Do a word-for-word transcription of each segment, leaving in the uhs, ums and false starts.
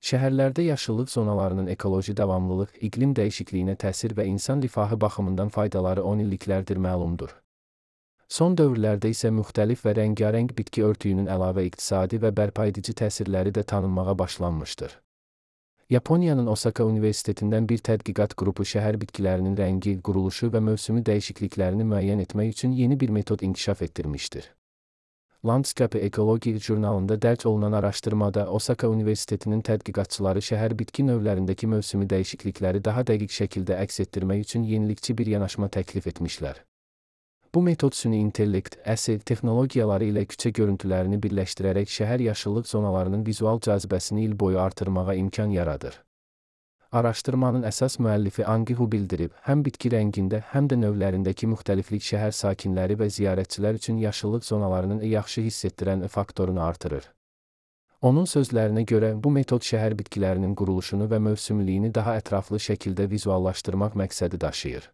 Şəhərlərdə yaşıllıq zonalarının ekoloji davamlılıq, iqlim dəyişikliyinə təsir və insan rifahı baxımından faydaları on illiklərdir məlumdur. Son dövrlərdə isə müxtəlif və rəngarəng bitki örtüyünün əlavə iqtisadi və bərpaedici təsirləri də tanınmağa başlanmışdır. Yaponiyanın Osaka Universitetindən bir tədqiqat qrupu şəhər bitkilərinin rəngi, quruluşu və mövsümü dəyişikliklərini müəyyən etmək üçün yeni bir metod inkişaf etdirmişdir. Landscape Ecology jurnalında dərc olunan araşdırmada Osaka Universitetinin tədqiqatçıları şəhər bitki növlərindəki mövsümi dəyişiklikləri daha dəqiq şəkildə əks etdirmək üçün yenilikçi bir yanaşma təklif etmişlər. Bu metod süni intellekt, əsl texnologiyaları ilə küçə görüntülərini birləşdirərək şəhər yaşıllıq zonalarının vizual cazibəsini il boyu artırmağa imkan yaradır. Araşdırmanın əsas müəllifi Angi Hu bildirib, həm bitki rəngində, həm də növlərindəki müxtəliflik şəhər sakinləri və ziyarətçilər üçün yaşıllıq zonalarının yaxşı hiss etdirən faktorunu artırır. Onun sözlərinə görə, bu metod şəhər bitkilərinin quruluşunu və mövsümlülüyünü daha ətraflı şəkildə vizuallaşdırmaq məqsədi daşıyır.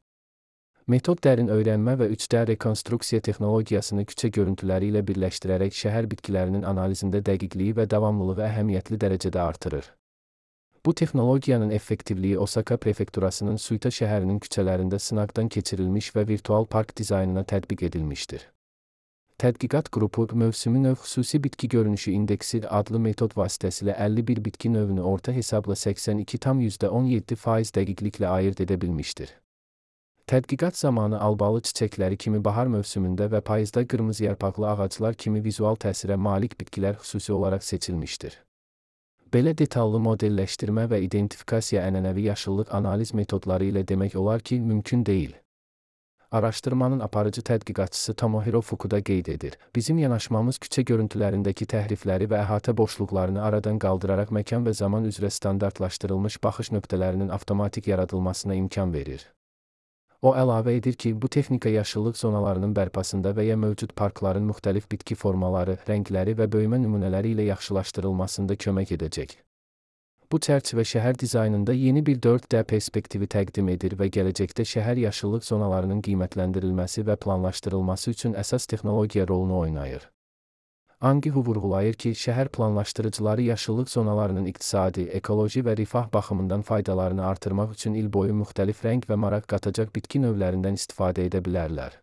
Metod dərin öyrənmə və üç D rekonstruksiya texnologiyasını küçə görüntüləri ilə birləşdirərək şəhər bitkilərinin analizində dəqiqliyi və davamlılığı əhəmiyyətli dərəcədə artırır. Bu texnologiyanın effektivliyi Osaka prefekturasının Suita şəhərinin küçələrində sınaqdan keçirilmiş və virtual park dizaynına tətbiq edilmişdir. Tədqiqat qrupu, mövsümi növ xüsusi bitki görünüşü indeksi adlı metod vasitəsilə əlli bir bitki növünü orta hesabla səksən iki tam yüzdə on yeddi faiz dəqiqliklə ayırd edə bilmişdir. Tədqiqat zamanı albalı çiçəkləri kimi bahar mövsümündə və payızda qırmızı yarpaqlı ağaclar kimi vizual təsirə malik bitkilər xüsusi olaraq seçilmişdir. Belə detallı modelləşdirmə və identifikasiya ənənəvi yaşıllıq analiz metodları ilə demək olar ki, mümkün deyil. Araşdırmanın aparıcı tədqiqatçısı Tomohiro Fukuda qeyd edir. Bizim yanaşmamız küçə görüntülərindəki təhrifləri və əhatə boşluqlarını aradan qaldıraraq məkan və zaman üzrə standartlaşdırılmış baxış nöqtələrinin avtomatik yaradılmasına imkan verir. O əlavə edir ki, bu texnika yaşıllıq zonalarının bərpasında və ya mövcud parkların müxtəlif bitki formaları, rəngləri və böyümə nümunələri ilə yaxşılaşdırılmasında kömək edəcək. Bu çərçivə şəhər dizaynında yeni bir dörd D perspektivi təqdim edir və gələcəkdə şəhər yaşıllıq zonalarının qiymətləndirilməsi və planlaşdırılması üçün əsas texnologiya rolunu oynayır. Angi Hu vurğulayır ki, şəhər planlaşdırıcıları yaşıllıq zonalarının iqtisadi, ekoloji və rifah baxımından faydalarını artırmaq üçün il boyu müxtəlif rəng və maraq qatacaq bitki növlərindən istifadə edə bilərlər.